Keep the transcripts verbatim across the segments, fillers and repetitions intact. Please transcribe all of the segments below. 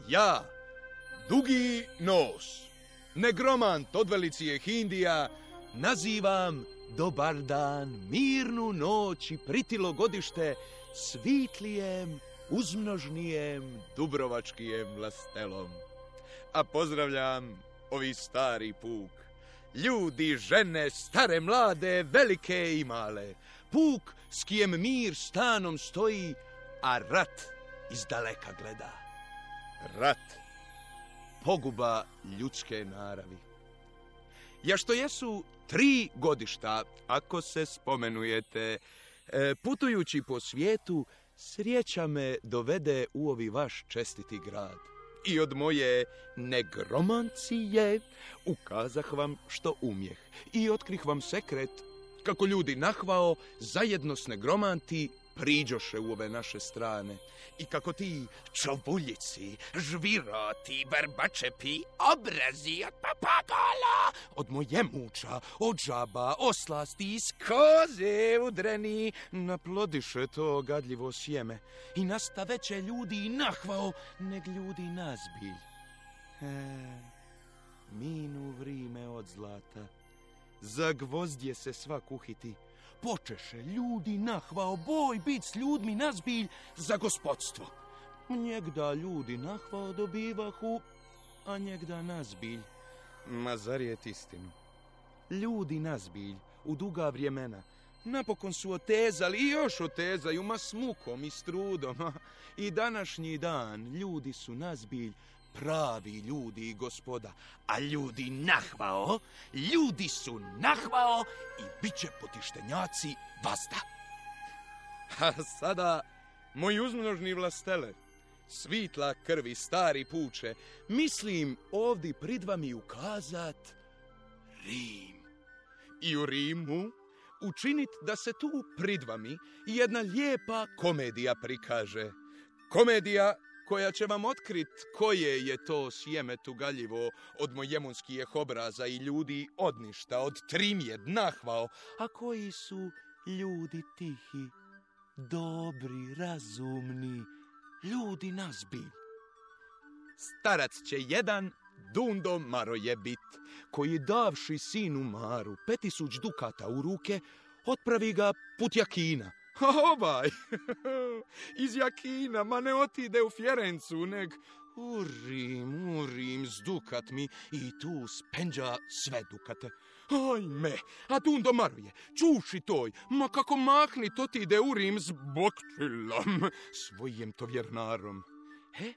Ja, Dugi nos, negromant od velicije Hindija, nazivam dobar dan, mirnu noć i pritilo godište svitlijem, uzmnožnijem, dubrovačkijem vlastelom. A pozdravljam ovi stari puk, ljudi, žene, stare, mlade, velike i male, puk s kijem mir stanom stoji, a rat iz daleka gleda. Rat, poguba ljudske naravi. Ja što jesu tri godišta, ako se spomenujete, putujući po svijetu, sreća me dovede u ovi vaš čestiti grad. I od moje negromancije ukazah vam što umjeh i otkrih vam sekret kako ljudi nahvao zajedno s negromanti priđoše u ove naše strane i kako ti čobuljici, žviroti, barbačepi, obrazi od papagala, od moje muča, od žaba, oslasti iz koze udreni, naplodiše to gadljivo sjeme i nastaveće ljudi nahvao neg ljudi nazbilj. E, minu vrime od zlata, za gvozdje se svak uhiti, počeše ljudi nahvao boj bit s ljudmi nazbilj za gospodstvo. Njegda ljudi nahvao dobivahu, a njegda nazbilj. Ma zar je istinu? Ljudi nazbilj u duga vremena napokon su otezali i još otezaju, ma s mukom i s trudom. I današnji dan ljudi su nazbilj pravi ljudi i gospoda, a ljudi nahvao, ljudi su nahvao i bit će potištenjaci vazda. A sada, moji uzmnožni vlastele, svitla krvi stari puče, mislim ovdje prid vami ukazat Rim. I u Rimu učinit da se tu prid vami jedna lijepa komedija prikaže. Komedija koja će vam otkrit koje je to sjeme tugaljivo od mojemunskijeh obraza i ljudi odništa, od trimjed nahvao, a koji su ljudi tihi, dobri, razumni, ljudi nazbilj. Starac će jedan Dundo Maroje bit, koji davši sinu Maru petisuć dukata u ruke, otpravi ga put Jakina. Ovaj, iz Jakina, ma ne otide u Fjerencu, neg u Rim, u Rim, s dukat mi i tu spenđa sve dukate. Ajme, a Dundo Maroje, čuši toj, ma kako mahni to ti ide u Rim s bokčilom, svojim to vjernarom. He,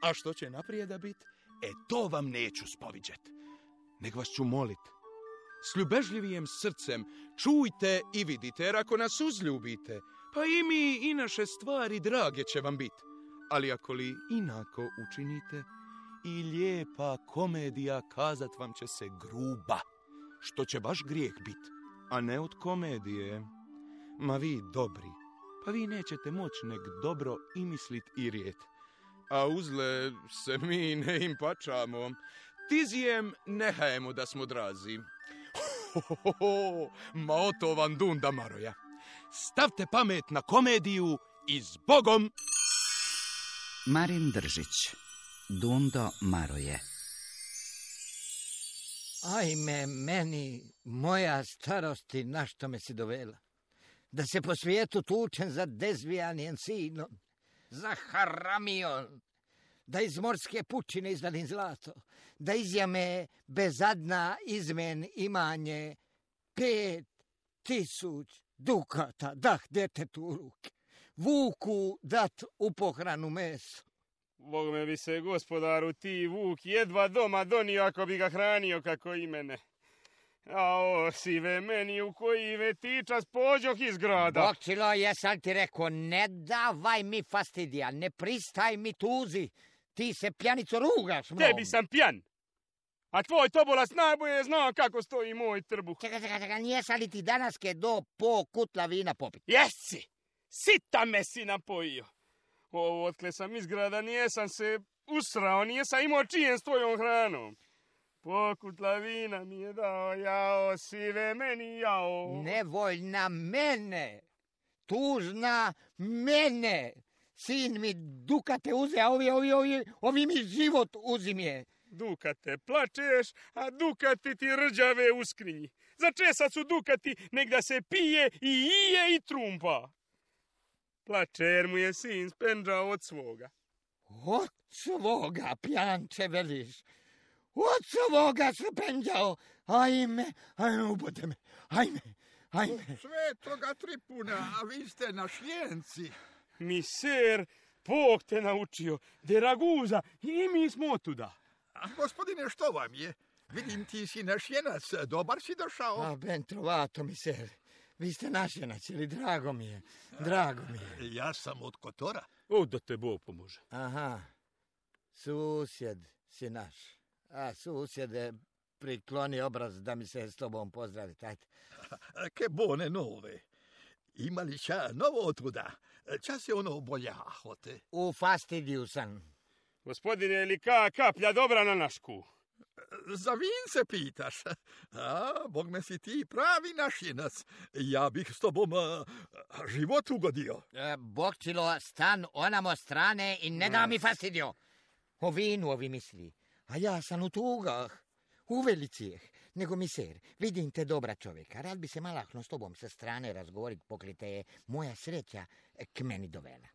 a što će naprijeda bit? E, to vam neću spoviđet, nego vas ću molit. S ljubežljivijem srcem čujte i vidite, jer ako nas uzljubite, pa i mi i naše stvari drage će vam biti. Ali ako li inako učinite, i lijepa komedija kazat vam će se gruba, što će baš grijeh bit, a ne od komedije. Ma vi dobri, pa vi nećete moći neg dobro i mislit i rijet. A uzle se mi ne im pačamo, tizijem nehajemo da smo drazi. Ho, ho, ho, ma oto vam Dunda Maroja. Stavte pamet na komediju i zbogom! Marin Držić, Dundo Maroje. Ajme, meni, moja starosti, na što me si dovela? Da se po svijetu tučem za dezvijanijem sinom, za haramijom, da iz morske pučine izvadim zlato, da izjame bezadna izmen imanje pet tisuć dukata, dah djetetu u ruke, vuku dat u pohranu meso. Bog me bi se, gospodaru, ti vuk jedva doma donio ako bi ga hranio kako i mene. A o, sive meni u koji vetičas pođoh iz grada. Bokčilo, jesam ti rekao, ne davaj mi fastidija, ne pristaj mi tuzi. Ti se pjanico rugaš mnom. Tebi sam pjan. A tvoj tobolas najbolje zna kako stoji moj trbuh. Čekaj, čekaj, čekaj, nijesam li ti danaske do po kutla vina popit? Jesi, sita me si napojio. Ovo, otkle sam iz grada, nijesam se usrao, nijesam imao čijem s tvojom hranom. Pokutla vina mi je dao, jao, sive meni, jao. Nevoljna mene, tužna mene, sin mi dukate uze, a ovi, ovi, ovi, ovi mi život uzimje. Dukate, plačeš, a dukati ti rđave u skrinji. Za česa su dukati, nek da se pije i ije i trumpa. Plače jer mu je sin spenđao od svoga. Od svoga, pjanče, veliš. Od svoga spenđao. Ajme, ajme, ubode me. Ajme, ajme. Svetoga Tripuna, a vi ste našljenci. Miser, Bog te naučio, de Raguza, i mi smo otuda. A gospodine, što vam je? Vidim, ti si našljenac, dobar si došao. A ben trovato, miser. Vi ste našljenac, ili drago mi je, drago mi je. Ja sam od Kotora. O, da te Bog pomože. Aha, susjed si naš. A susjede, prikloni obraz da mi se s tobom pozdravi, tajte. Che buone nove. Ima li ča novo otuda? Ča se ono boljahote? U fastidiju sam. Gospodine, je li ka kaplja dobra na našku? Za vin se pitaš? A, Bog me si ti pravi našljenac. Ja bih s tobom a, život ugodio. E, Bokčilo, stan onamo strane i ne da mi fastidio. O vinu ovi misli. A ja sam u tugah, u velicijeh. Nego miser, vidim te dobra čovjeka. Rad bi se malahno s tobom sa strane razgovorit, pokrite je moja sreća k meni dovela.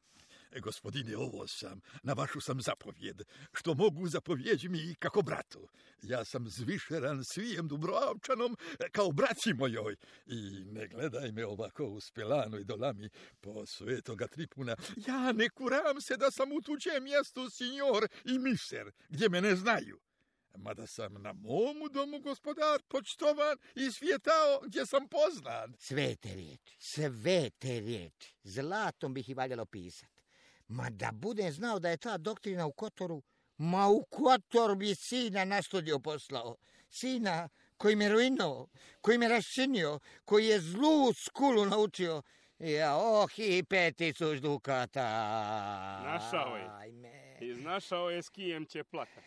Gospodine, ovo sam, na vašu sam zapovjed, što mogu zapovjeđi mi kako bratu. Ja sam zvišeran svijem Dubrovčanom kao braći mojoj. I ne gledaj me ovako u spelanoj dolami po svetoga Tripuna. Ja ne kuram se da sam u tuđem mjestu sinjor i miser, gdje me ne znaju. Mada sam na momu domu gospodar počtovan i svijetao gdje sam poznan. Svete riječi, svete riječi. Zlatom bih i valjalo pisat. Ma da budem znao da je ta doktrina u Kotoru, ma u Kotor bi sina na studiju poslao. Sina koji me ruinuo, koji me raščinio, koji je zlu skulu naučio. Ja, oh, i pet tisuć dukata. Našao je. Ajme. Iznašao je s kijem će plakat.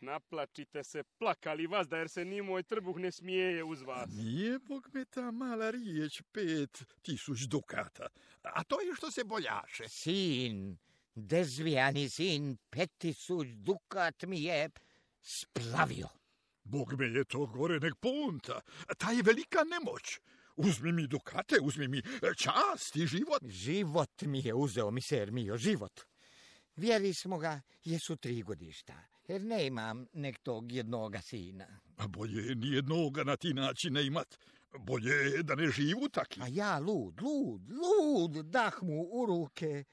Naplačite se, plakali vas, da jer se ni moj trbuh ne smijeje uz vas. Nije, Bog me, ta mala riječ pet tisuć dukata. A to je što se boljaše. Sin, dezvijani sin, pet tisuć dukat mi je splavio. Bog me je to gore nek punta. Ta je velika nemoć. Uzmi mi dukate, uzmi mi čast i život. Život mi je uzeo, miser mio, život. Vjeri smo ga, jesu tri godišta, jer ne imam nek tog jednoga sina. A bolje je nijednoga na ti način ne imat. Bolje je da ne živu taki. A ja lud, lud, lud, dah mu u ruke.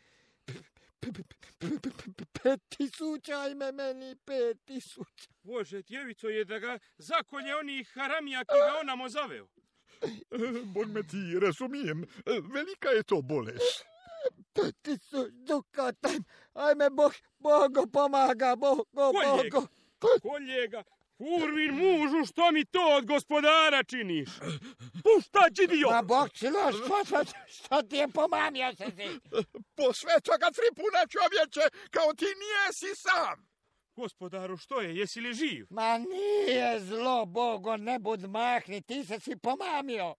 Pet tisuća, ajme meni, pet tisuća. Bože, djevico je da ga zakolje onih haramija ki ga onamo zaveo. Bog me ti, razumijem, velika je to bolest. Pet tisuć dukata, ajme Bog, Bogo pomaga, Bogo, Kolje ga, Bogo. kolje ga, Kurvin mužu, što mi to od gospodara činiš? Pušta, džidio! Ma Bokčilo, što, što, što ti je pomamio se si? Po svetoga Tripuna, čovječe, kao ti nijesi sam. Gospodaru, što je, jesi li živ? Ma nije zlo, Bogo, ne bud mahni, ti se si pomamio.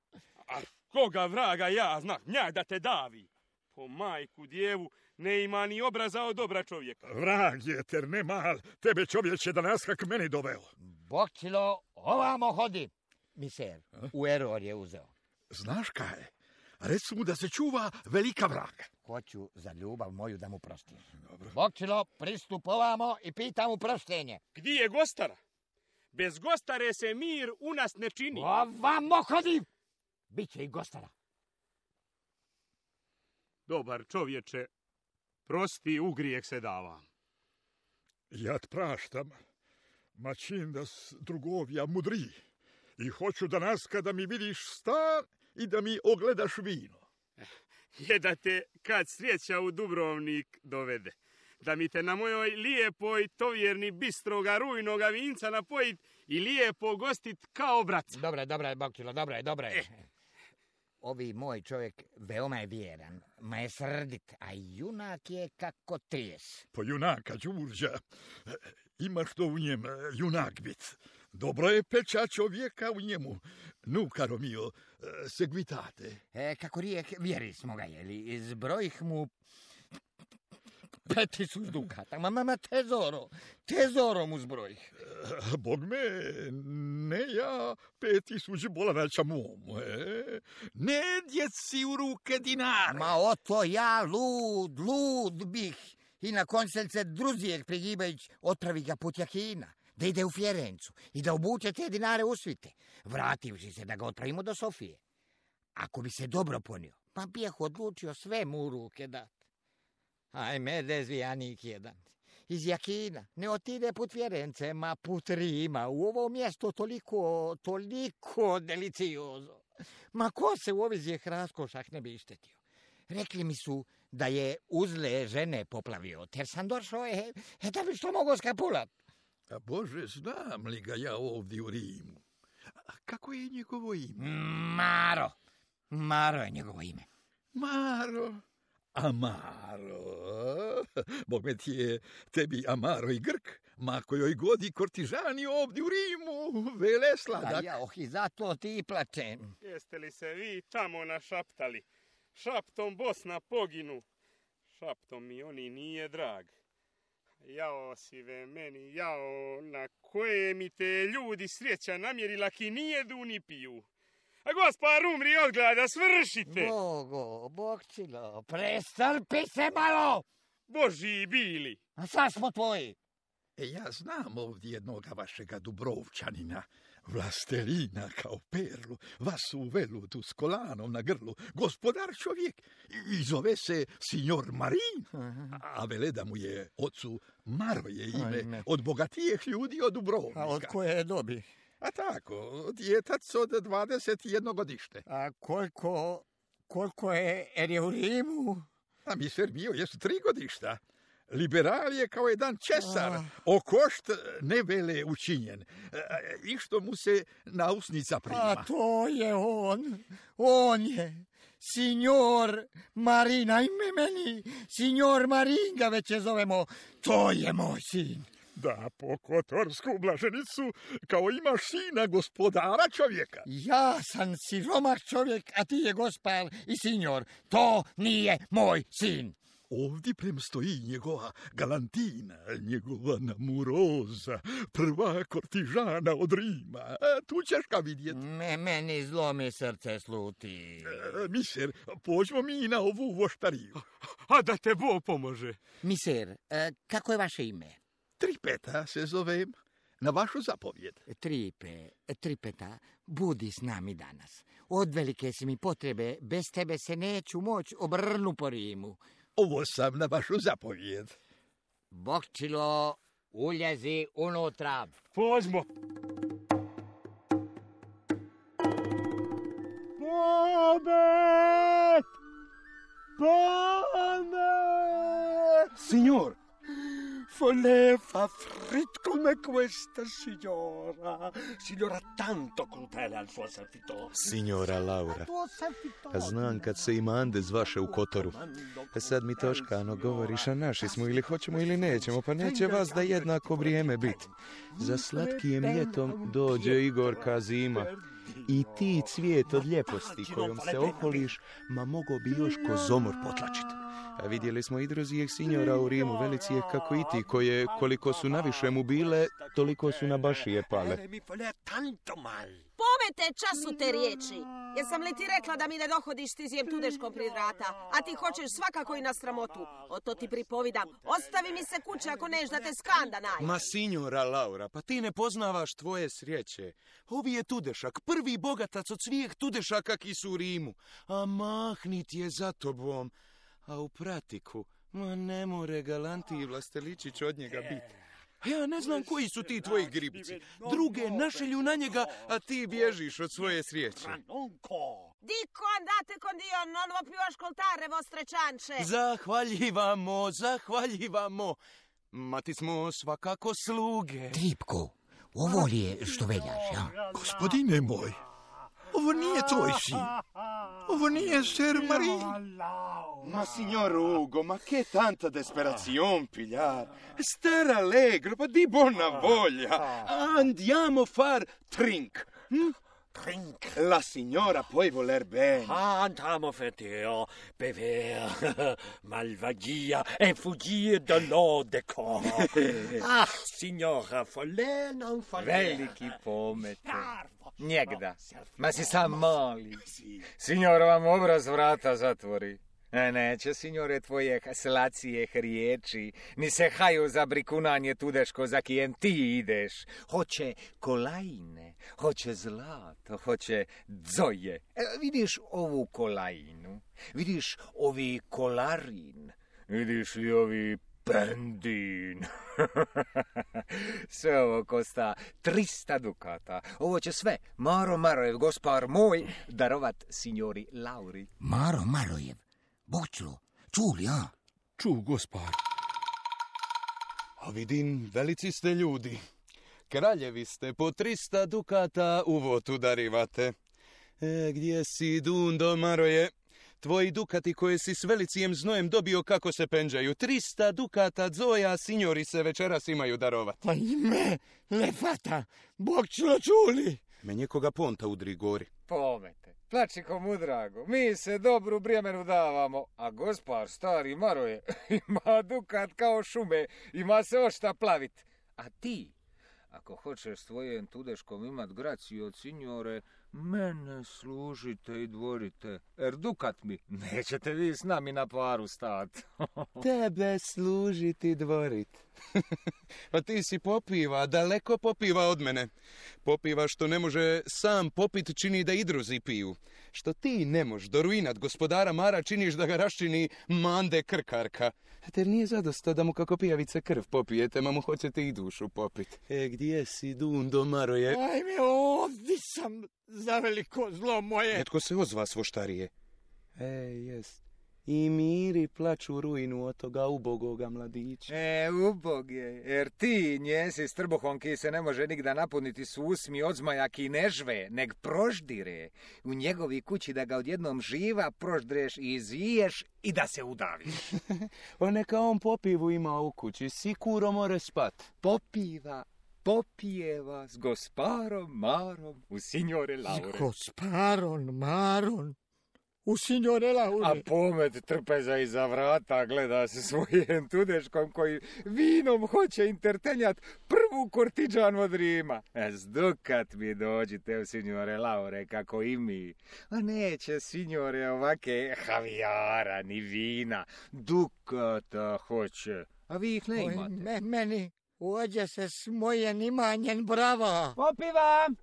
A koga vraga ja znam, nja da te davi. Po majku djevu ne ima ni obraza od dobra čovjeka. Vrag je, ter ne mal, tebe čovječe danas kak meni doveo. Bokčilo, ovamo hodi. Miser, u eror je uzeo. Znaš kaj? Reci mu da se čuva velika vraga. Hoću za ljubav moju da mu prostim. Dobro. Bokčilo, pristup ovamo i pita mu proštenje. Gdje je gostara? Bez gostare se mir u nas ne čini. Ovamo hodi! Biće i gostara. Dobar čovječe, prosti, u grijeh se dava. Ja t praštam, ma čin da s drugovja mudri. I hoću danas kada mi vidiš stan i da mi ogledaš vino. Je da te kad sreća u Dubrovnik dovede. Da mi te na mojoj lijepoj tovjerni bistroga rujnoga vinca napojit i lijepo gostit kao brat. Dobro je, dobro je, Bokčilo, dobro je, dobro je. Eh. Ovi moj čovjek veoma je vjeran, ma je srdit, a junak je kako trijes. Po junaka, Đurđa, imaš to u njem junak bit. Dobro je peča čovjeka u njemu. Nu, caro mio, seguitate. E, kako rijek, vjeri smo ga jeli, izbrojih mu Pet tisuć dukata. Ma, ma, ma, tesoro. Tesoro mu zbrojih. Bog me, ne ja pet tisuć bolanača mom. E? Ne djeci u ruke dinar. Ma oto ja lud, lud bih. I na konceljce Druzijek Prigibajić otpravi ga put Jakina, da ide u Fjerencu i da obuče te dinare u svite, vrativši se da ga otpravimo do Sofije. Ako bi se dobro ponio, pa bijeh odlučio sve mu u ruke dati. Ajme, dezvijanik jedan. Iz Jakina ne otide put Fjérence, ma put Rima. U ovo mjesto toliko, toliko deliciozo. Ma ko se u ovizijeh raskošah ne bi ištetio? Rekli mi su da je uzle žene poplavio, ter sam došao je, e, da bi što mogo skapulat. A Bože, znam li ga ja ovdje u Rimu? A kako je njegovo ime? Maro. Maro je njegovo ime. Maro. Amaro. Bog me ti je tebi Amaro i Grk, ma kojoj godi kortižani ovdje u Rimu, vele sladak. A ja, oh, i zato ti plačem. Jeste li se vi tamo našaptali? Šaptom Bosna poginu. Šaptom mi oni nije drag. Jao sive meni, jao, na koje mi te ljudi sreća namjerila ki nije du ni piju. A gospar umri od glada, svršite! Bogo, Bogčilo, prestrpi se malo! Božji bili! A sad smo tvoji. E, ja znam ovdje jednoga vašega Dubrovčanina, vlastelina kao perlu, vas u velutu s kolanom na grlu, gospodar čovjek, i zove se signor Marin, a vele da mu je ocu Maroje ime, Ajme. Od bogatijih ljudi od Dubrovnika. A od koje dobi? A tako, djetac od dvadeset jedno godište. A koliko, koliko je, er je u Rimu? A mi ser bio, jesu tri godišta. Liberal je kao jedan česar, oh. okošt ne vele učinjen, i što mu se na usnica prima. A to je on, on je, signor Marina, ime meni, signor Maringa već je zovemo, to je moj sin. Da, po kotorsku blaženicu, kao imaš sina gospodara čovjeka. Ja sam siromah čovjek, a ti je gospar i signor, to nije moj sin. Ovdje prem stoji njegova galantina, njegova namuroza, prva kortižana od Rima. A, tu ćeš ga vidjeti. Me, meni zlomi srce sluti. E, miser, pođemo mi na ovu voštariju. A da te Bog pomože. Miser, e, kako je vaše ime? Tripeta se zovem, na vašu zapovjed. Tripe, Tripeta, budi s nami danas. Od velike si mi potrebe, bez tebe se neću moć obrnu po Rimu. Ovo sam na vašu zapovjed. Bogčilo, uljezi unutra. Pođmo. Pomet! Pomet! Signor, voleva frit come questa signora. Signora tanto crudele al suo servitore. Signora Laura, a znam kad se ima Andez vaše u Kotoru. E sad mi toškano govoriš, a naši smo ili hoćemo ili nećemo, pa neće vas da jednako vrijeme biti. Za slatkijem ljetom dođe Igorka zima. I ti cvijet od ljeposti kojom se okoliš, ma mogo bi još ko zomor potlačiti. A vidjeli smo i drozijeh signora u Rimu, velicijeh kako i ti, koje koliko su naviše mu bile, toliko su na bašije pale. Pomete času te riječi. Jesam li ti rekla da mi ne dohodiš stizijem tudeškom pred vrata, a ti hoćeš svakako i na sramotu. O to ti pripovidam. Ostavi mi se kuće ako neš da te skanda naj. Ma signora Laura, pa ti ne poznavaš tvoje sreće. Ovi je tudešak, prvi bogatac od svijeh tudešaka ki su u Rimu. A mahnit je za tobom. A u pratiku, ma ne more galantiji vlasteličić od njega biti. A ja ne znam koji su ti tvoji gribci. Druge našelju na njega, a ti bježiš od svoje srijeće. Diko andate con Dio, non vo più ascoltare vostre ciance. Zahvaljivamo, zahvaljivamo. Ma ti smo svakako sluge. Tripko, ovo li je što veljaš, ja? Gospodine moj, ovo nije tvoj sin. Ovo nije ser Marin. Ma signor Ugo, ma che tanta desperazione, pigliar. Star allegro, pa di buona voglia. Andiamo far trink. Hm? Trink. La signora puoi voler bene. Andiamo feteo, bever, malvagia e fuggire dall'odeco. Ah, signora, folle non folle. Veliki pomete. Njegda. Ma si sam moli. Signor vam obraz vrata zatvori. E neće, signore, tvoje slacije riječi, ni se haju za brikunanje tudeško za kijem ti ideš. Hoće kolajne, hoće zlato, hoće dzoje. E, vidiš ovu kolajnu, vidiš ovi kolarin, vidiš li ovi pendin. Sve ovo kosta trista dukata. Ovo će sve Maro Marojev, gospar moj, darovat signori Lauri. Maro Marojev? Bokčilo, čuli, a? Ču, gospar. A vidim, velici ste ljudi. Kraljevi ste, po trista dukata u votu darivate. E, gdje si, Dundo Maroje? Tvoji dukati koje si s velicijem znojem dobio kako se penđaju. Trista dukata dzoja, signori se večeras imaju darovat. Pa ime, lefata, Bokčilo čuli. Me njekoga ponta udri gori. Pomete, plači komu drago, mi se dobru bremenu davamo, a gospar stari Maroje ima dukat kao šume, ima se ošta plavit. A ti, ako hoćeš s tvojim tudeškom imat graciju od signore, mene služite i dvorite, jer dukat mi nećete vi s nami na paru stat. Tebe služiti dvorit. Pa ti si popiva, daleko popiva od mene. Popiva što ne može sam popit čini da i druzi piju. Što ti ne mož do ruinat gospodara Mara činiš da ga raščini mande krkarka. Ter nije zadosta da mu kako pijavice krv popijete, ma mu hoćete i dušu popit. E, gdje si, Dundo Maroje? Ajme, ovdje sam za veliko zlo moje. Netko se ozva svoštarije. E, jest. I miri plaču ruinu od toga ubogoga mladića. E, ubog je, jer ti njesi s trbuhom ki se ne može nigda napuniti s usmi od zmaja ki ne žve, neg proždire. U njegovi kući da ga odjednom živa proždreš i izviješ i da se udaviš. O neka on popivu ima u kući, sikuro more spat. Popiva, popijeva s gosparom Marom u signore Laure. S gosparom Marom u signore Laure. A pomet trpeza iza vrata gleda se svojim tudeškom koji vinom hoće intertenjat prvu kortiđan od Rima. E, zdukat mi dođite u signore Laure kako i mi. A neće signore ovake havijara ni vina. Dukata hoće. A vi ih ne imate. Oj, me, meni uđe se s mojem imanjem brava. Popivam!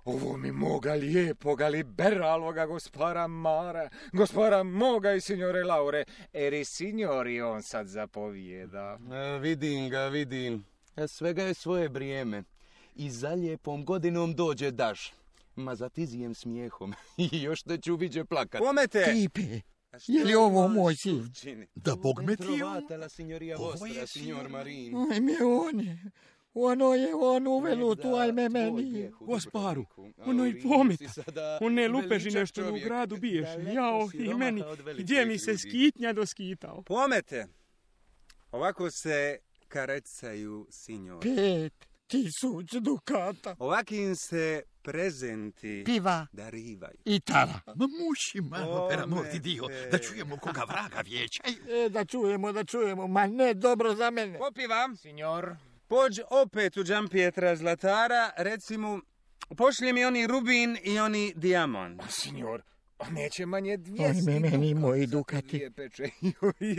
Ovo mi moga lijepoga liberaloga gospara Mara, gospara moga i signore Laure, jer i signori on sad zapovijeda. E, vidim ga, vidim. E, svega je svoje vrijeme. I za lijepom godinom dođe daš. Ma za tizijem smijehom. I još te ću viđe plakat. Pomete! Tipe, je li ovo moj sin? Da Bog me ti Trovatela, signorija vostra, signor Marin. Ajme, on je. Ono je on uvelu tu, ajme meni. Gosparu, ono i pometa. One lupežine što u gradu biješe. Jao, i meni, gdje mi se skitnja doskitao. Pomete, ovako se karecaju signor. Pet tisuć dukata. Ovakim se prezenti Piva darivaju. i tara. Ma mušima, per amor di Dio, da čujemo koga vraga vječaju. E, da čujemo, da čujemo, ma ne dobro za mene. Popivam. Signor, Pođ opet u Giampietra Zlatara, reci mu, pošli mi oni rubin i oni dijamant. signor, neće manje dvijesti. Ajme meni moji za te dukati. dvije peče.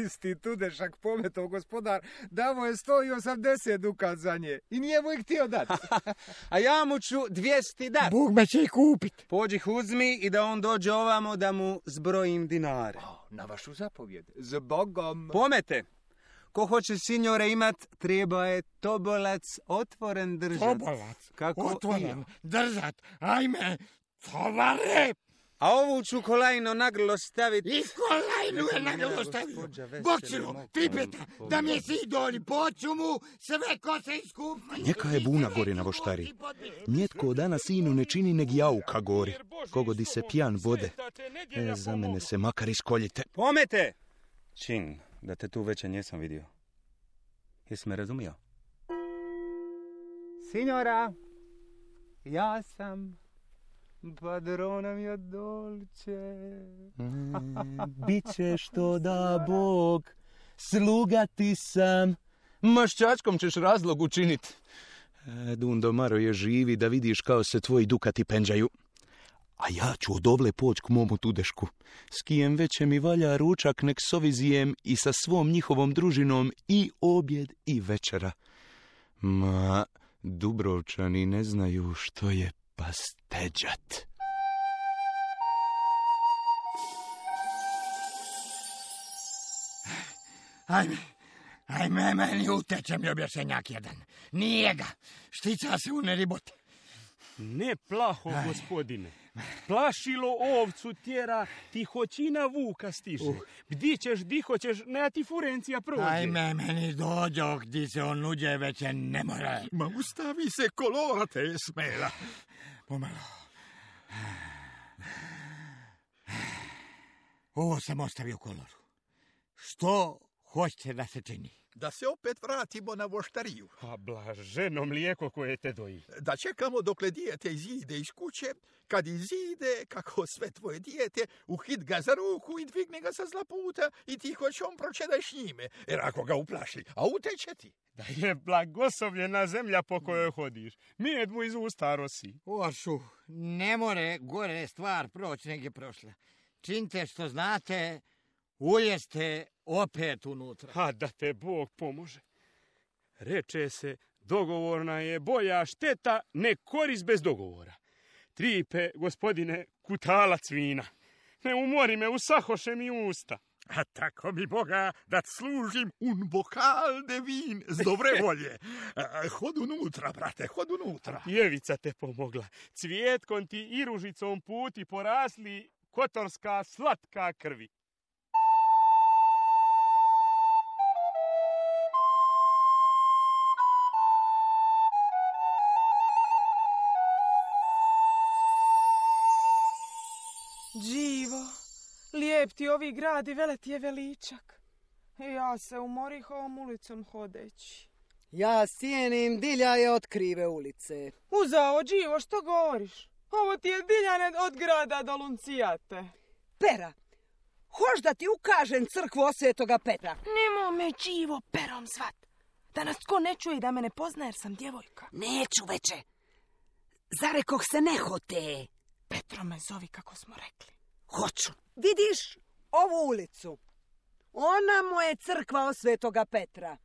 Isti tudešak pometov gospodar, davo je sto osamdeset dukat za nje i nije mu ih htio dati. A ja mu ću dvjesto dat. Bog me će i kupit. Pođi ih uzmi i da on dođe ovamo da mu zbrojim dinare. Na vašu zapovjed, z Bogom. Pomete, ko hoće signore imat, treba je tobolac otvoren držat. Tobolac, Kako otvoren, držat, ajme, tovare. A ovu ću kolajno na grlo staviti. I kolajnu je na grlo stavio. Bokčilo, tripeta, da mi je sidoli, poću mu sve ko se iskupa. Njeka je buna gori na voštari. Njetko od dana sinu ne čini neg jauka gori. Kogodi se pijan vode. E, za mene se makar iskoljite. Pomete! Čin, da te tu veće nisam vidio. Jesi me razumio? Signora, ja sam Padrona mia dolce. Biće što da Bog, sluga ti sam. Maščačkom ćeš razlog učinit. E, Dundo Maro je živi da vidiš kao se tvoji dukati penđaju. A ja ću odovle poć k momu tudešku. S kijem veće mi valja ručak nek s ovizijem i sa svom njihovom družinom i objed i večera. Ma, Dubrovčani ne znaju što je pasteđat. Ajme, ajme, meni uteče mi objašnjenjak jedan. Nije ga, štica se u neribot. Ne plaho, gospodine. Plašilo ovcu tjera, tihoćina vuka stiže. Uh. Gdje ćeš, di hoćeš, ne ti furencija prođe. Ajme, meni dođo, gdje se on nuđe, već ne mora. Ma ustavi se kolora te smela. Pomalo. Ovo sam ostavio koloru. Što hoćete da se čini? Da se opet vratimo na voštariju. A blaženo mlijeko koje te doji. Da čekamo dokle dijete izide iz kuće, kad izide, kako sve tvoje dijete, uhit ga za ruku i dvigne ga sa zla puta i ti hoćom pročedaj s njime, jer ako ga uplaši, a uteče ti. Da je blagoslovljena zemlja po kojoj hodiš. Med mu iz usta rosi. Ošu, ne more gore stvar proći nek je prošla. Činite što znate, ujeste opet unutra. A da te Bog pomože. Reče se, dogovorna je bolja šteta, ne korist bez dogovora. Tripe, gospodine, kutalac vina. Ne umori me, usahoše mi usta. A tako mi Boga da služim un bokal de vin z dobre volje. Hod unutra, brate, hod unutra. Jevica te pomogla. Cvjetkom ti i ružicom puti porasli kotorska slatka krvi. Đivo, lijep ti ovi grad i vele ti je veličak. Ja se umorih ovom ulicom hodeći. Ja cijenim diljaje od krive ulice. Uzao, Đivo, što govoriš? Ovo ti je diljane od grada do Luncijate. Pera, hoš da ti ukažem crkvu Osvetoga Petra? Nemo me, Đivo, Perom zvat. Da nas ko ne čuje i da me ne pozna jer sam djevojka. Neću veče. Zarekoh se nehote. Petro me zovi kako smo rekli. Hoću. Vidiš ovu ulicu? Ona mu je crkva Osvetoga Petra.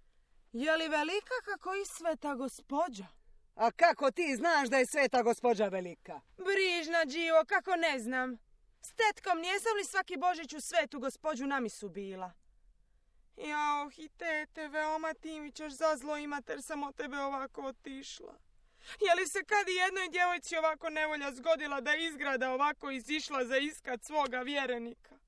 Je li velika kako i sveta gospođa? A kako ti znaš da je sveta gospođa velika? Brižna, Đivo, kako ne znam. S tetkom nijesam li svaki Božić u svetu gospođu na misu bila? Jao, i tete, veoma ti mi ćeš za zlo imat jer sam od tebe ovako otišla. Je li se kad i jednoj djevojci ovako nevolja zgodila da izgrada ovako izišla za iskat svoga vjerenika?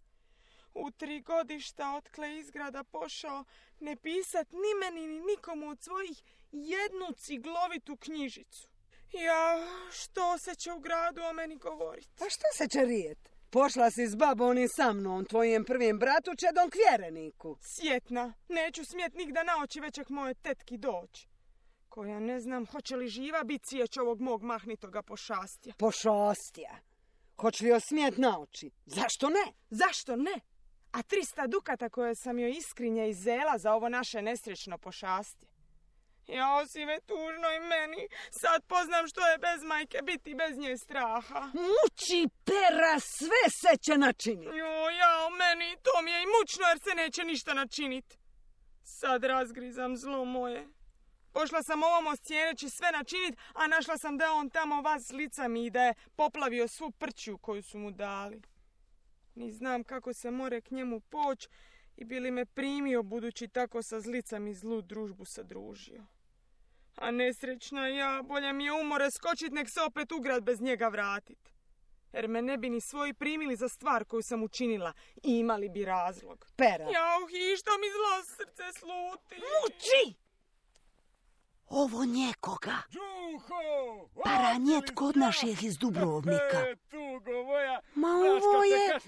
U tri godišta otkle izgrada pošao ne pisat ni meni ni nikomu od svojih jednu ciglovitu knjižicu. Ja, što se će u gradu o meni govoriti? Pa što se će rijet? Pošla si s babom i sa mnom, tvojim prvim bratu čedom k vjereniku. Sjetna, neću smjet nigda na oči većeg moje tetki doći. Koja ne znam, hoće li živa bit cijeć ovog mog mahnitoga pošastja. Pošastja? Hoće li joj smijet na oči? Zašto ne? Zašto ne? A trista dukata koje sam joj iskrinje izela za ovo naše nesrećno pošastje. Jao si me tužno i meni. Sad poznam što je bez majke biti bez nje straha. Muči, Pera, sve se će načiniti. Jo, jao, meni to mi je i mučno jer se neće ništa načiniti. Sad razgrizam zlo moje. Pošla sam ovom oscijeneći sve načinit, a našla sam da on tamo vas s licami i da je poplavio svu prću koju su mu dali. Ni znam kako se more k njemu poć i bi li me primio budući tako sa zlicami zlu družbu sadružio. A nesrećna ja, bolje mi je umore skočit nek se opet u grad bez njega vratit. Jer me ne bi ni svoji primili za stvar koju sam učinila i imali bi razlog. Pera. Jao, hi, što mi zlo srce sluti. Muči! Ovo njekoga. Đuho! Paranjet kod naših iz Dubrovnika. E, tugo moja. Ma ovo je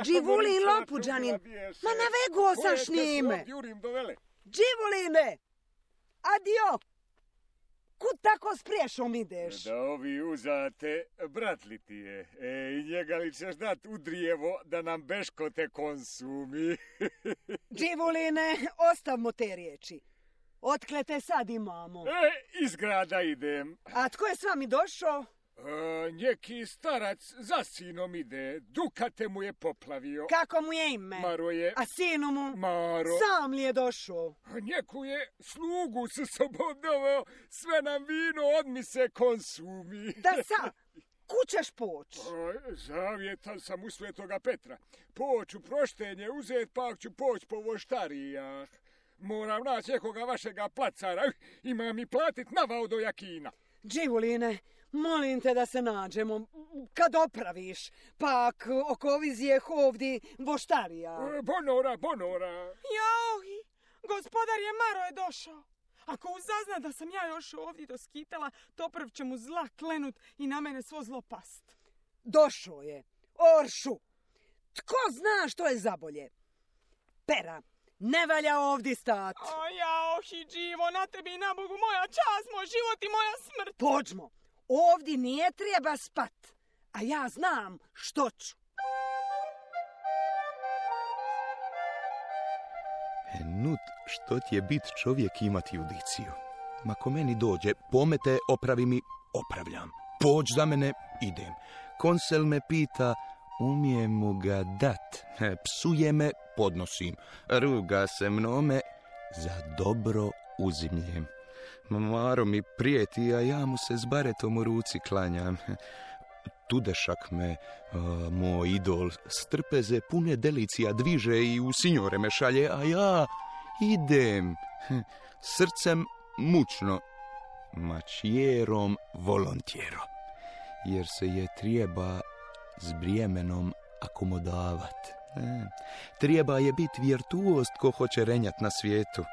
Đivulin Lopuđanin. Ma navego sam s njime. Đivuline! Adio! kud tako s priješom ideš? Da ovi uzate, brat li ti je? E, i njega li ćeš dat u drijevo da nam beško te konsumi? Dživuline, ostavmo te riječi. Otkle te sad imamo? E, iz grada idem. A tko je s vami došao? E, njeki starac za sinom ide. Dukate mu je poplavio. Kako mu je ime? Maro je. A sinu mu? Maro. Sam li je došao? Njeku je slugu sa sobom doveo. Sve nam vino odmise konsumi. Da sa, kućeš poć? Zavjetan sam u Svetoga Petra. Poć u proštenje uzet, pak ću poć po voštarijah. Moram naći nekoga vašega placara. Ima mi platit navao do jakina. Dživuline, molim te da se nađemo. Kad opraviš, pak oko vizije ovdje voštarija. Bonora, bonora. Jauhi, gospodar je Maro je došao. Ako uzazna da sam ja još ovdje doskitala, to prv će mu zla klenut i na mene svo zlo past. Došao je. Oršu. Tko zna što je zabolje? Pera, ne valja ovdje stat. O jauhi, Dživo, na tebi i na Bogu moja čast, moj život i moja smrt. Pođmo, ovdje nije treba spat, a ja znam što ću. E, nut, što ti je bit čovjek imati judiciju? Ma ko meni dođe, pomete, opravi mi, opravljam. Pođ za mene, idem. Konsel me pita, umijem mu ga dat. E, psuje me, podnosim. Ruga se mnome, za dobro uzimljem. Maro mi prijeti, a ja mu se s baretom u ruci klanjam. Tudešak me, a, moj idol, strpeze pune delicija dviže i u signore me šalje, a ja idem. Srcem mučno, mačijerom volontjero, jer se je treba s brijemenom akomodavat. E, treba je bit virtuost ko hoće renjat na svijetu.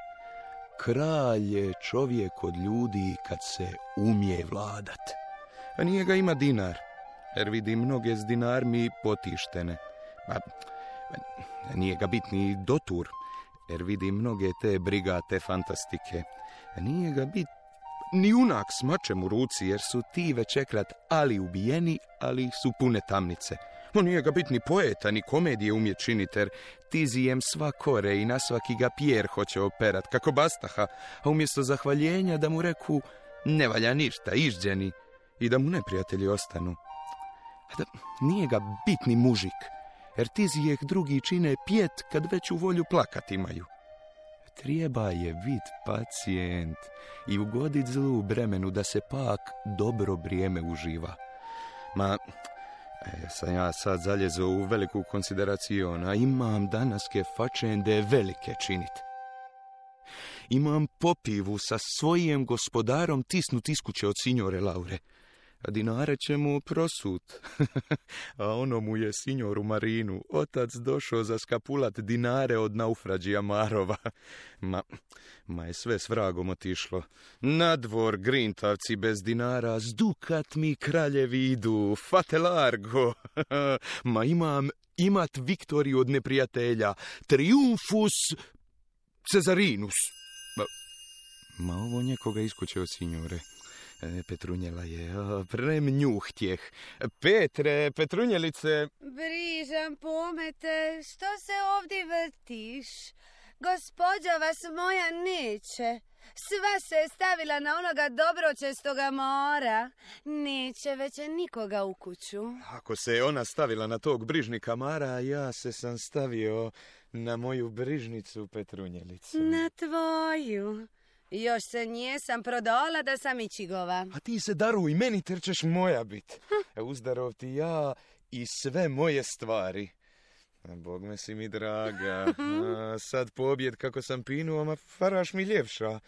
Kralj je čovjek od ljudi kad se umije vladat. A nije ga ima dinar, jer vidim mnoge s dinarmi potištene. A nije ga bit ni dotur, jer vidim mnoge te brigate fantastike. A nije ga bit ni junak s mačem u ruci, jer su ti večekrat ali ubijeni, ali su pune tamnice. No nije ga bit ni poeta, ni komedije umje činit, jer tizijem sva kore i na svaki ga pjer hoće operat, kako Bastaha, a umjesto zahvaljenja da mu reku ne valja ništa, išđeni, i da mu neprijatelji ostanu. A da nije ga bit ni mužik, jer tizijeh drugi čine pjet kad već u volju plakat imaju. Treba je bit pacijent i ugodit zlu bremenu da se pak dobro vrijeme uživa. Ma, e, sam ja sad zaljezo u veliku konsideraciju, a imam danaske fačende velike činit. Imam popivu sa svojim gospodarom tisnut iskuće od signore Laure, a dinare će mu prosut. A ono mu je signoru Marinu, otac došao za skapulat dinare od naufrađija Marova. Ma, ma je sve s vragom otišlo. Na dvor grintavci bez dinara, s dukat mi kraljevi idu, fate largo. Ma imam imat Viktoriju od neprijatelja, triumfus Cezarinus. Ma, ma ovo njekoga iskuće od signore. Petrunjela je, o, premnjuhtjeh. Petre, Petrunjelice. Brižam pomete, što se ovdje vrtiš? Gospođa vas moja neće. Sva se je stavila na onoga dobročestoga mora. Neće već nikoga u kuću. Ako se je ona stavila na tog brižnika Mara, ja se sam stavio na moju brižnicu Petrunjelicu. Na tvoju. Još se nijesam prodala da sam ičigova. A ti se daruj, meni ter ćeš moja bit. Hm. Uzdarov ti ja i sve moje stvari. Bog me si mi draga. A, sad pobjed kako sam pinuo, ma faraš mi ljepša.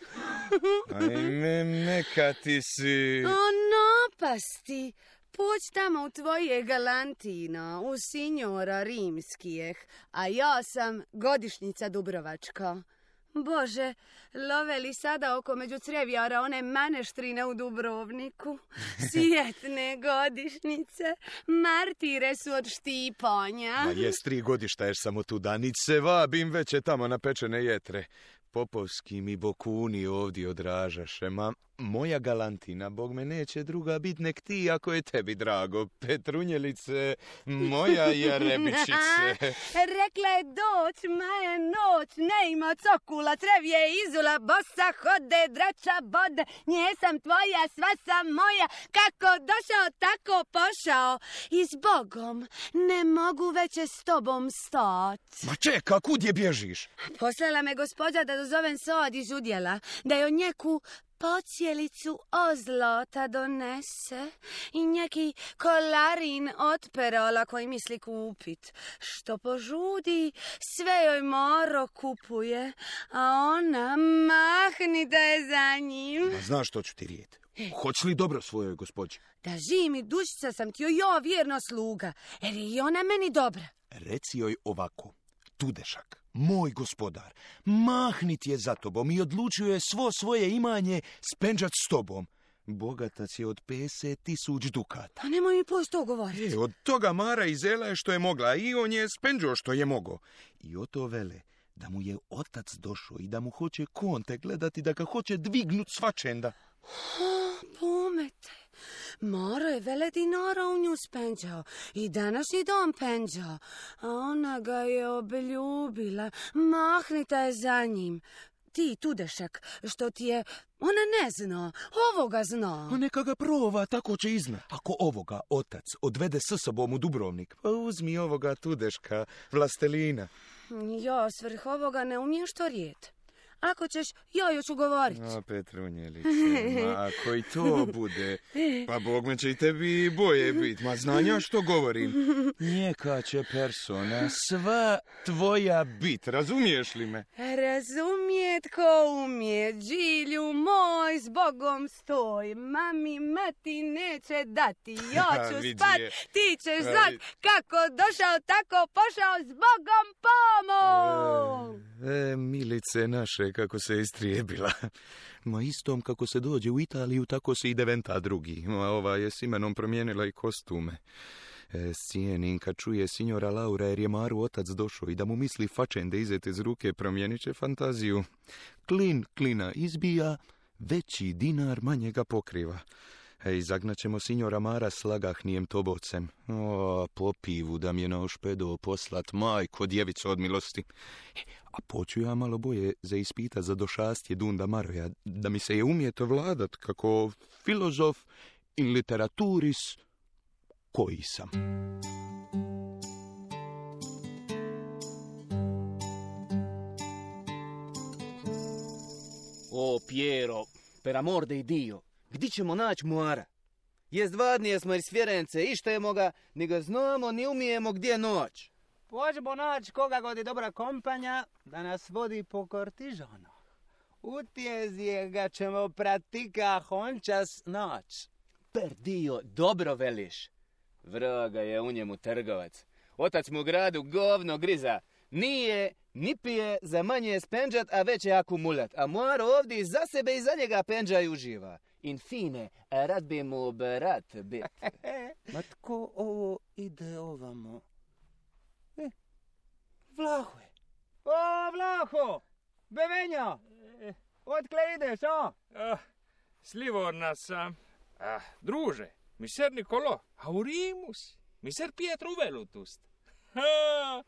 Ajme, neka ti si. O, napasti. Poć tamo u tvoje galantino, u signora rimskijeh, a ja sam godišnjica Dubrovačka. Bože, love li sada oko među crevjara one maneštrine u Dubrovniku? Sjetne godišnjice, martire su od štipanja. Ma jes tri godišta jer samo tu danice, vabim već je tamo na pečene jetre. Popovski mi bokuni ovdje odražaše, ma moja galantina, Bog me neće druga bit nek ti, ako je tebi drago. Petrunjelice, moja jarebičice. Rekla je doć, ma je noć, ne ima cokula, trevje izula, bosa hode, drača bode, nje sam tvoja, sva sam moja, kako došao, tako pošao. I s Bogom ne mogu veće s tobom stat. Ma čeka, kud je bježiš? Poslala me gospođa da dozovem sod iz udjela, da joj njeku pocijelicu ozlota donese i neki kolarin od perola koji misli kupit. Što požudi, sve joj Moro kupuje, a ona mahni da je za njim. Ma znaš što ću ti rijet? Hoć li dobro svojoj gospođi? Da živim i dušica sam ti joj jo vjerno sluga, jer je i ona meni dobra. Reci joj ovako, Tudešak, moj gospodar, mahnit je za tobom i odlučio je svo svoje imanje spenđat s tobom. Bogatac je od pedeset tisuć dukata. Pa nemoj mi posto to govoriti. E, od toga Mara izela je što je mogla i on je spenđo što je mogo. I o to vele da mu je otac došao i da mu hoće konte gledati, da ga hoće dvignut svačenda. Pomete, Moro je vele dinara u nju spenđao i današnji dom penđao, a ona ga je obljubila, mahnita je za njim. Ti, Tudešak, što ti je, ona ne zna, ovoga zna. A neka ga prova, tako će iznat. Ako ovoga otac odvede s sobom u Dubrovnik, pa uzmi ovoga Tudeška, vlastelina. Jo, svrh ovoga ne umiješ to rijet. Ako ćeš, joj ću govorit. A, Petrunjelice, ma ako i to bude, pa Bog me će i tebi boje bit. Ma znanja što govorim. Njeka će persona sva tvoja bit, razumiješ li me? Razumijet ko umije, Đilju moj, s Bogom stoj. Mami, mati neće dati, ja ću spat, ti ćeš znat. Kako došao, tako pošao, s Bogom pomoć. E, e, milice naše, kako se istrijebila. Ma istom kako se dođe u Italiju, tako se ide venta drugi. Ma ova je s imenom promijenila i kostume. E, cijenim kad čuje signora Laura jer je Maru otac došao i da mu misli fačende izete iz ruke, promijenit će fantaziju. Klin klina izbija, veći dinar manje ga pokriva. Ej, zagnaćemo signora Mara s lagahnijem tobocem. O, po pivu da mi je na ošpedo poslat, majko, djevico od milosti. E, a poću ja malo boje za ispita za došastje Dunda Maroja, da mi se je umijeto vladat kako filozof in literaturis koji sam. O, Piero, per amor de Dio, gdje ćemo naći Moara? Jest vadnije smo iz Fjorence, ištajemo ga, ni ga znamo, ni umijemo gdje je noć. Pođemo naći koga god je dobra kompanja, da nas vodi po Kortižanu. Utjezije ga ćemo pratika hončas noć. Per Dio, dobro veliš. Vraga je u njemu trgovac. Otac mu u gradu govno griza. Nije, ni pije, za manje je spenđat, a već je akumulat. A Moar ovdje za sebe i za njega penđa i uživa. Infine, rad bi mu brat bit. Ma tko ovo ide ovamo? E, Vlaho je. O, Vlaho! Bevenja! Otkle ideš, o? Ah, Slivorna sam. Ah, druže, miser Nikolo, aurimus, miser Pietro Velutust. Ha,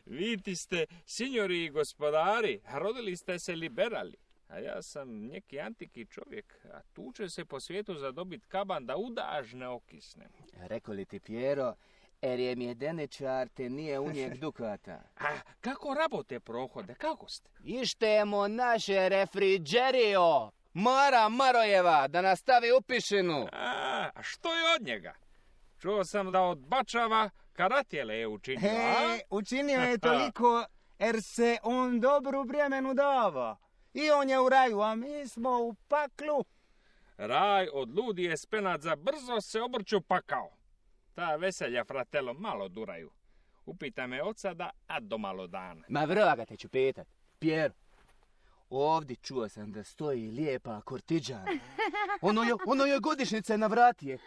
vidite ste, signori i gospodari, rodili ste se liberali. A ja sam neki antiki čovjek, a tuče se po svijetu za dobit kaban da udaž ne okisnem. Rekao li ti, Piero, er je mjedeničar te nije unijek dukata. A kako rabote prohode, kako ste? Ištemo naše refrigerio, Mara Marojeva, da nas stavi u pišinu. A, a što je od njega? Čuo sam da odbačava karatjele je učinio, a? He, učinio je toliko, jer se on dobru bremenu dava. I on je u raju, a mi smo u paklu. Raj od ludi je spenat za brzo se obrću pakao. Ta veselja, fratelo, malo duraju. Upita me od sada, a do malo dana. Ma vraga te ću pitat. Piero, ovdje čuo sam da stoji lijepa Kortiđana. Ono je, ono je godišnjice na vratije.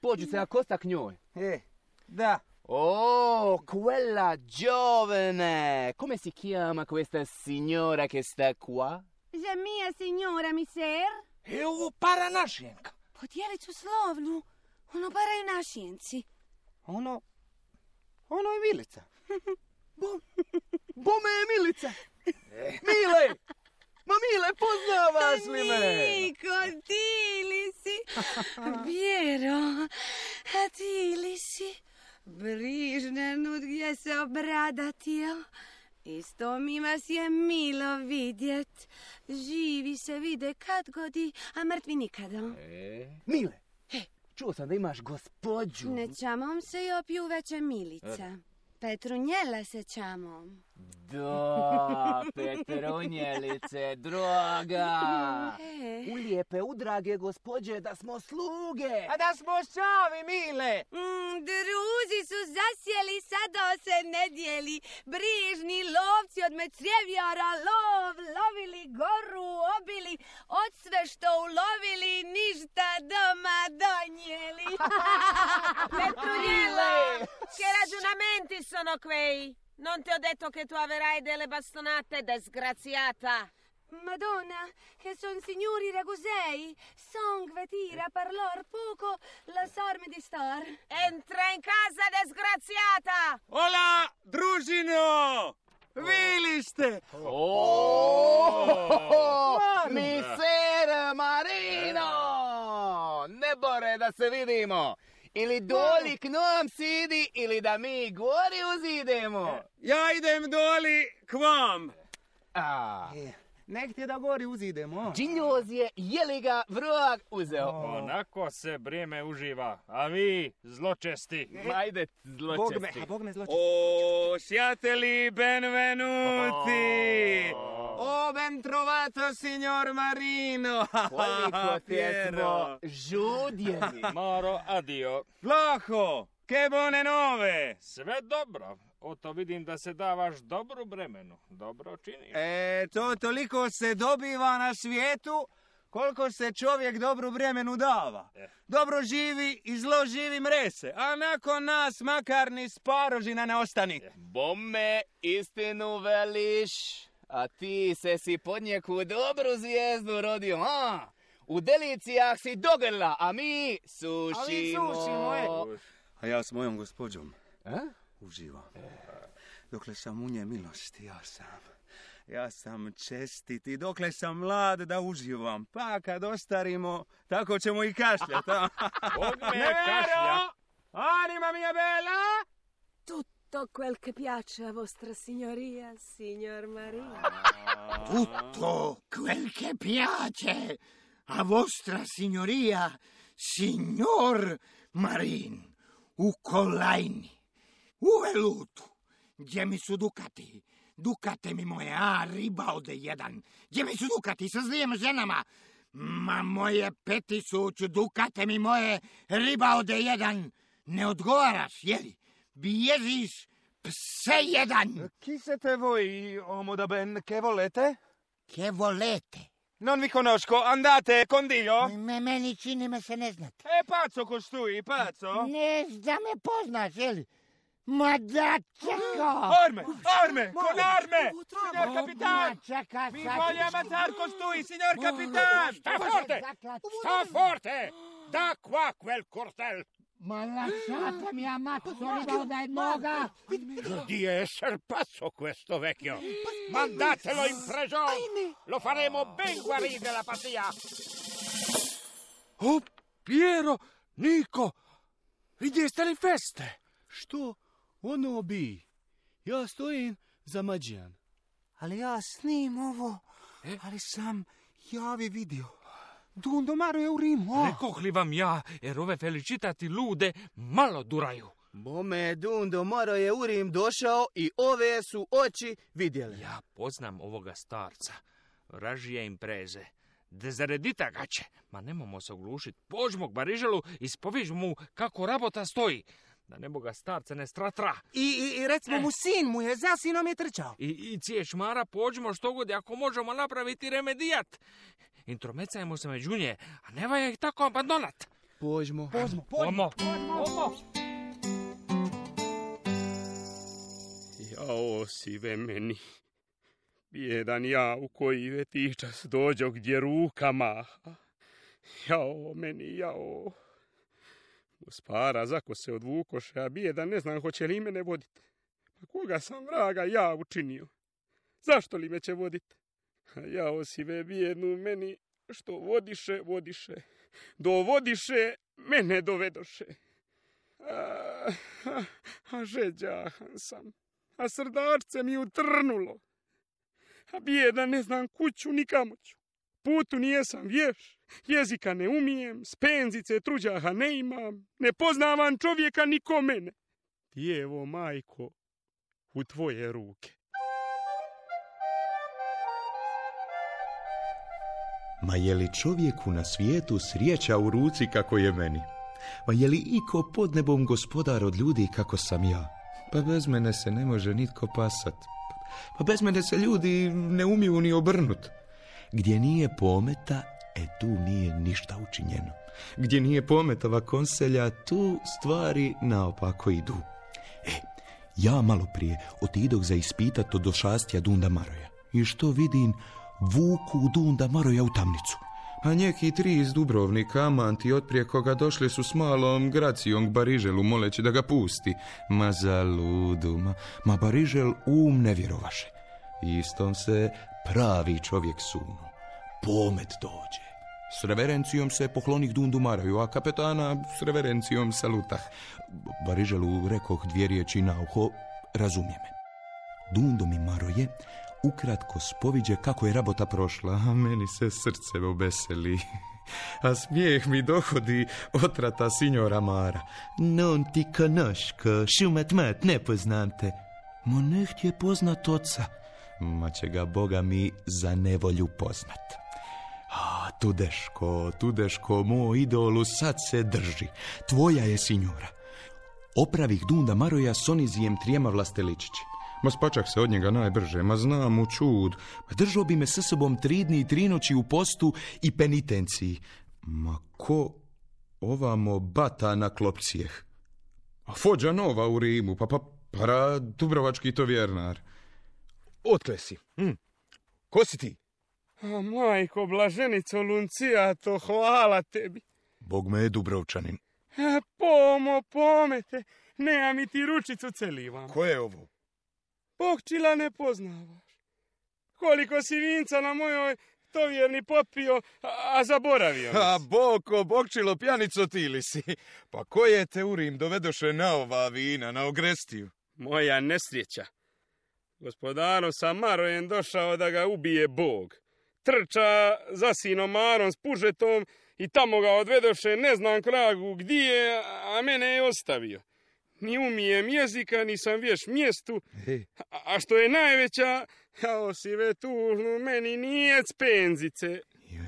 Pođu se akosta k njoj. E, da. Oh, quella giovane! Come si chiama questa signora che sta qua? Je mia signora, miser? E ovo para našjenka. Podijelicu slovnu, ono paraju našjenci. Ono, ono je Milica. Bo, bome je Milica. Mile, ma Mile, poznavaš li me? Niko, ti li si? Vjero, a ti li si? Brižna nud gdje se obradatio. Isto mi vas je milo vidjet. Živi se vide kad godi, a mrtvi nikada. E? Mile, čuo sam da imaš gospođu. Ne čamom se i opiju veće Milica. Petrunjela se čamom. Da, Petrunjelice, droga. E. U lijepe, u drage gospođe, da smo sluge. A da smo šavi, Mile. Mm, druzi su zasjeli, sada se ne dijeli. Brižni lovci od mecrjevjara lov, lovili goru, obili, od sve što ulovili, ništa doma donijeli. Petrunjelo, che ragionamenti sono quei? Non ti ho detto che tu averai delle bastonate, disgraziata. Madonna, che son signori ragusei, sangue tira per lor poco, la sorme di star. Entra in casa, disgraziata! Ola, družino! Vili ste! Oh, mi ser Marino! Ne bore da se vidimo. Ili doli k nam sidi, ili da mi gori uzidemo. Ja idem doli k vam. A. Nek ti da gori uzidemo. Džinjoz je, je li ga vrag uzeo? Onako se vrijeme uživa, a vi zločesti. Ajde, Bog me, zločesti. a Bog me zločesti. O, siateli benvenuti! O, ben trovato, signor Marino. Koliko te smo žudjeli. Maro, adio. Plaho, che buone nove! Sve dobro. Oto vidim da se davaš dobru bremenu. Dobro činiš. E, to toliko se dobiva na svijetu koliko se čovjek dobru vremenu dava. Dobro živi i zlo živi mrese, a nakon nas makar ni sparožina ne ostani. Bome, istinu veliš, a ti se si pod neku dobru zvijezdu rodio, a? U delicijah si dogrla, a mi sušimo. A mi sušimo, e. A ja s mojom gospođom A? uživam. Dokle sam u nje milosti, ja sam. Ja sam čestit i dokle sam mlad da uživam. Pa kad ostarimo, tako ćemo i kašljati. Bog me kašlja. Anima mia bella! Tutto quel che piace a vostra signoria, signor Marino. Tutto quel che piace a vostra signoria, signor Marin, u kolajni, u velutu, gdje mi su dukati, dukate mi moje, a ribalde jedan, gdje mi su dukati sa zlijem ženama, ma moje peti su dukate mi moje, ribalde jedan, ne odgovaraš, jeli, bježiš, pse jedan. Chi siete voi, uomo da ben, che volete? Che volete? Non vi conosco, andate con Dio? Me, meni čini me se ne znate. E, pazzo costui, pazzo? Ne da me poznaš, jeli? Ma da čeka! Arme, arme, con arme! Signor capitan! Čeka, Mi voglio ammazzar costui, signor capitan! Sta forte! Sta forte! Da qua quel cortel! Ma lasciatemi ammazzo da jednoga! Di esser pazzo questo vecchio! Mandatelo in prigione! Lo faremo ben guarire della pazzia! O, Piero, Niko, vidjeste li feste? Što? Ono bi. Ja stojim za Mađijan. Ali ja snim ovo, ali sam javi vidio. Dundomaro je u Rimu. Rekoh li vam ja, jer ove felicitati lude malo duraju. Bome, Dundomaro je u Rim došao i ove su oči vidjeli. Ja poznam ovoga starca. Vražije impreze. Dezaredita gaće. Ma nemamo se oglušit. Pođmo k Bariželu i spovižmo mu kako rabota stoji. Da ne boga starca ne stratra. I, i, i recimo mu sin mu je, za sinom je trčao. I, i ciješ Mara, pođemo što god, ako možemo napraviti remedijat. Intromecajmo se među nje, a ne valja ih tako abandonat. Pođmo. Pođmo, pođmo. Pođmo. Jao si ve meni. Bjedan ja u koji vetičas dođo gdje ruka maha. Jao, meni, jao. Gospara, zako se odvukoše, a bijeda ne znam hoće li mene voditi. Pa koga sam vraga ja učinio? Zašto li me će voditi? A jao si ve bijednu meni, što vodiše, vodiše. Dovodiše, mene dovedoše. A, a, a žeđahan sam, a srdačce mi utrnulo. A bijeda ne znam kuću ni kamoću. Putu nijesam vješ, jezika ne umijem, spenzice truđaha ne imam, ne poznavam čovjeka niko mene. Djevo, majko, u tvoje ruke. Ma je li čovjeku na svijetu srijeća u ruci kako je meni? Ma je li iko pod nebom gospodar od ljudi kako sam ja? Pa bez mene se ne može nitko pasat. Pa bez mene se ljudi ne umiju ni obrnut. Gdje nije pometa, e tu nije ništa učinjeno. Gdje nije pometova konselja, tu stvari naopako idu. E, ja malo prije otidoh za ispitat od došastja Dunda Maroja. I što vidim? Vuku Dunda Maroja u tamnicu. A njeki tri iz Dubrovnika, amanti otprije koga došli su s malom Gracijom k Bariželu moleći da ga pusti. Ma zaludu, ma, ma Barižel um ne vjerovaše. Istom se pravi čovjek sunu. Pomet dođe. S reverencijom se poklonih Dundu Maroju, a kapetana s reverencijom salutah. Bariželu rekoh dvije riječi na uho, razumije me. Dundo mi Maroje ukratko spoviđe kako je rabota prošla, a meni se srce obeseli. A smijeh mi dohodi otrata signora Mara. Non ti conosco, šumat mat, ne poznam te. Ma ne htje poznat oca. Ma će ga Boga mi za nevolju poznat. A, Tudeško, Tudeško, moj idolu, sad se drži. Tvoja je signora. Opravih Dunda Maroja s onizijem trijema vlasteličići. Ma spačak se od njega najbrže, ma znam u čud. Držao bi me sa sobom tri dni i tri noći u postu i penitenciji. Ma ko ovamo bata na klopcijeh? A Fođa Nova u Rimu, pa pa para Dubrovački to vjernar. Otkle si? Hm. Ko si ti? A majko, blaženico Luncijato, hvala tebi. Bog me je Dubrovčanin. A, pomo, pomete, nema mi ti ručicu celivam. Ko je ovo? Bokčila ne poznavaš. Koliko si vinca na mojoj tovjerni popio, a, a zaboravio nas. A Boko, Bokčilo, pjanico ti li si? Pa ko je te u Rim dovedoše na ova vina, na ogrestiju? Moja nesreća. Gospodaru sam Marojem došao da ga ubije Bog. Trča za sinom Marom s pužetom i tamo ga odvedoše ne znam kragu gdje, a mene je ostavio. Ni umijem jezika, nisam vješ mjestu, a, a što je najveća, kao si ve tužnu, meni nije spenzice.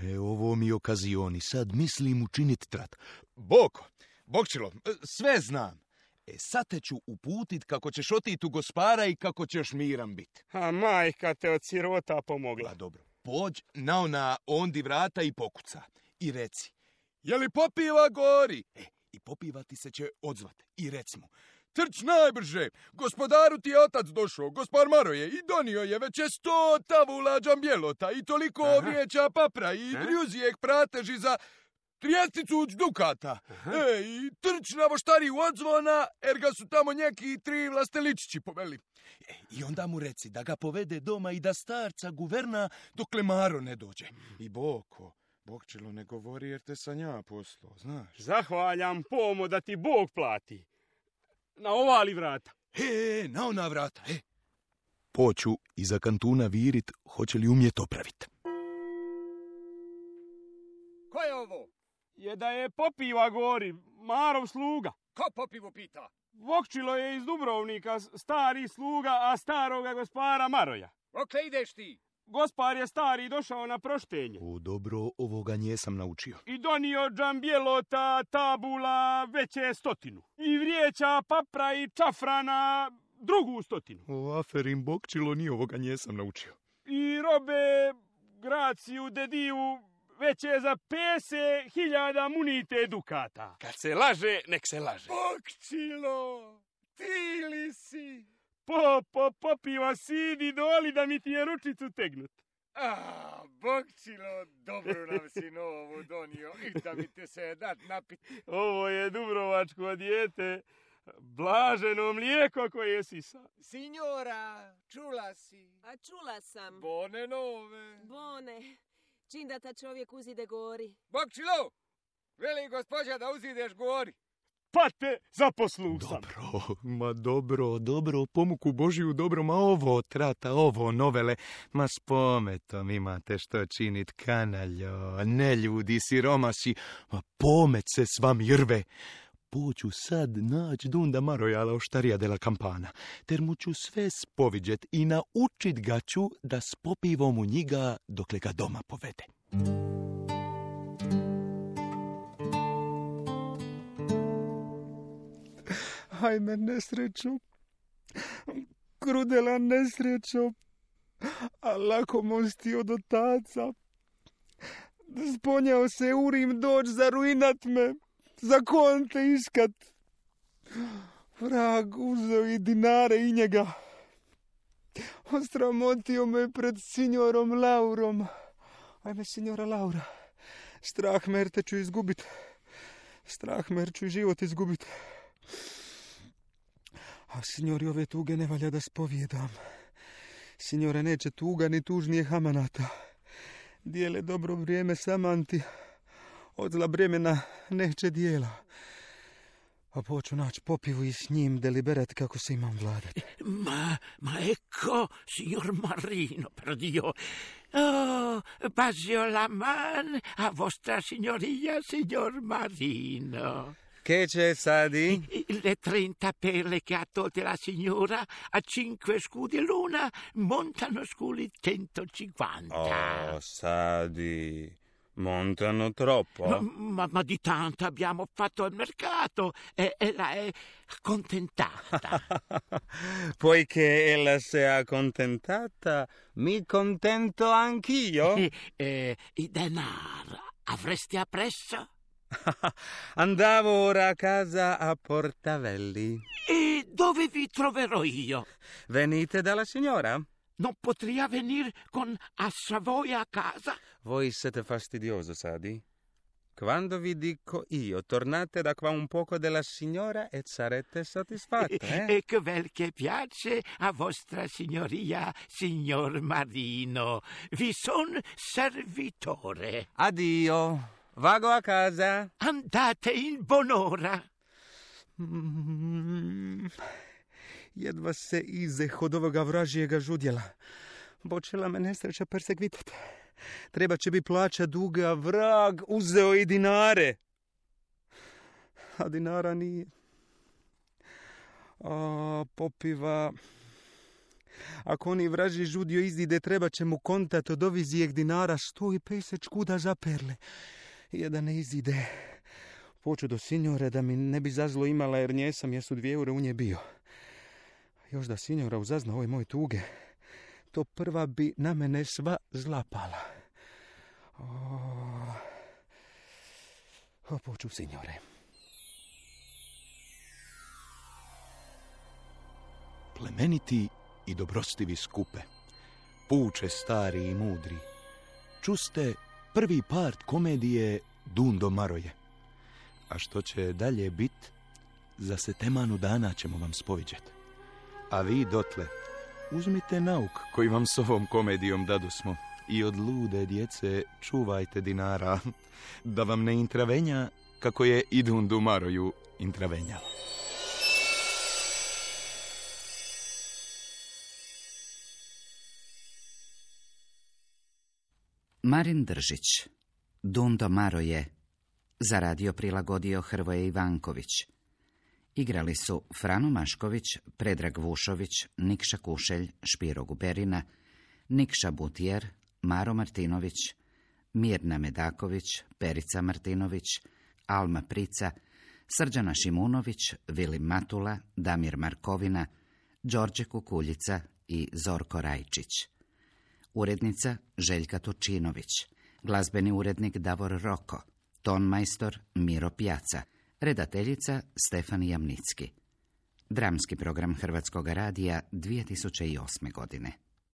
Je, ovo mi okazioni, sad mislim učinit trat. Boko, Bokčilo, sve znam. E sad te ću uputit kako ćeš otit u Gospara i kako ćeš miran bit. A majka te od sirota pomogla. A dobro, pođ na ona ondi vrata i pokuca. I reci, je li popiva gori? E, i popiva ti se će odzvat. I reci mu, trč najbrže, gospodaru ti je otac došao, gospar Maroje, i donio je već je sto tavula džambjelota i toliko ovrijeća papra i drjuzijek prateži za trijesticu dukata. E, i trč na voštariju odzvona, jer ga su tamo neki tri vlasteličići poveli. E, i onda mu reci da ga povede doma i da starca guverna dokle Maro ne dođe. I Boko, Bokčilo ne govori jer te sam ja poslao, znaš. Zahvaljam pomo da ti Bog plati. Na ovali vrata. E, na ona vrata, e. Poću iza kantuna virit, hoće li umjet opravit. Ko je ovo? Je da je popiva gori, Marov sluga. Ko popivo pita? Bokčilo je iz Dubrovnika, stari sluga, a staroga gospara Maroja. Okle ideš ti? Gospar je stari došao na proštenje. O, dobro, ovoga njesam naučio. I donio džambjelota, tabula, veće stotinu. I vrijeća, papra i čafrana, drugu stotinu. O, aferim, Bokčilo, ni ovoga njesam naučio. I robe, Graciju, Dediju, već je za pese hiljada munite dukata. Kad se laže, nek se laže. Bokčilo, ti li si? Po, po, popiva, sidi doli da mi ti je ručicu tegnut. A, Bogčilo, dobro nam si novu donio. I da mi te se dat napit. Ovo je dubrovačko dijete, blaženo mlijeko koje sisa. Signora, čula si? A čula sam. Bone nove. Bone. Čim da ta čovjek uzide gori. Bogčilo, veli gospođa da uzideš gori. Pa te zaposlu sam. Dobro, ma dobro, dobro, pomuku Božiju dobro, ma ovo trata, ovo novele, ma s pometom imate što činit, kanaljo, ne ljudi, siromasi, ma pomet se s vam jrve. Poću sad nać Dunda Marojala oštarija dela kampana, ter mu ću sve spoviđet i naučit ga ću da s popivom u njega dokle ga doma povede. Hajme nesrećo, krudela nesrećo, a lako mosti od otaca. Sponjao se urim doć za ruinat me, za konte iskat. Vrag uzeo i dinare i njega. Osramotio me pred signorom Laurom. Ajme, signora Laura, strah me jer te ću izgubit. Strah me jer ću život izgubit. A signori, ove tuge ne valja da spovijedam. Signore, neće tuga ni tužnije hamanata. Dijele dobro vrijeme samanti. Od zla bremena neće dijela. A poću naći popivu i s njim deliberat kako se imam vladati. Ma, ma ecco, signor Marino, per Dio. Oh, pasio la man a vostra signoria, signor Marino. Che c'è, Sadi? Le trenta perle che ha tolte la signora a cinque scudi l'una montano sculi centocinquanta. Oh, Sadi, montano troppo. Ma, ma, ma di tanto abbiamo fatto il mercato e ella è contentata. Poiché ella si è accontentata, mi contento anch'io. E, e, I denaro avresti appresso? Andavo ora a casa a Portavelli. E dove vi troverò io? Venite dalla signora? Non potrei venire con a Savoia a casa? Voi siete fastidioso, Sadi. Quando vi dico io, tornate da qua un poco della signora e sarete soddisfatta, eh? E che bel che piace a vostra signoria, signor Marino. Vi son servitore. Addio. Vago a casa. Andate in buon'ora. Mm, jedva se izeh od ovoga vražijega žudjela. Počela me nesreća persekvitat. Treba će bi plaća duga, vrag uzeo i dinare. A dinara nije. A popiva... Ako oni vraži žudio izide, treba će mu kontat od ovizijeg dinara sto i pedeset škuda za perle. Jedan ne izide. Poču do signore da mi ne bi zazlo imala jer nje sam jesu dvije eure u nje bio. Još da signora uzazna ove moje tuge, to prva bi na mene sva zlapala. O, o poču signore. Plemeniti i dobrostivi skupe, puče stari i mudri, čuste prvi part komedije Dundo Maroje. A što će dalje bit, za setemanu dana ćemo vam spoviđat. A vi dotle, uzmite nauk koji vam s ovom komedijom dadosmo i od lude djece čuvajte dinara, da vam ne intravenja kako je i Dundu Maroju intravenjalo. Marin Držić, Dundo Maroje, za radio prilagodio Hrvoje Ivanković. Igrali su Frano Mašković, Predrag Vušović, Nikša Kušelj, Špiro Guberina, Nikša Butjer, Maro Martinović, Mirna Medaković, Perica Martinović, Alma Prica, Srđana Šimunović, Vilim Matula, Damir Markovina, Đorđe Kukuljica i Zorko Rajčić. Urednica Željka Turčinović, glazbeni urednik Davor Roko, tonmajstor Miro Pjaca, redateljica Stefan Jamnicki. Dramski program Hrvatskog radija dvije tisuće osme godine.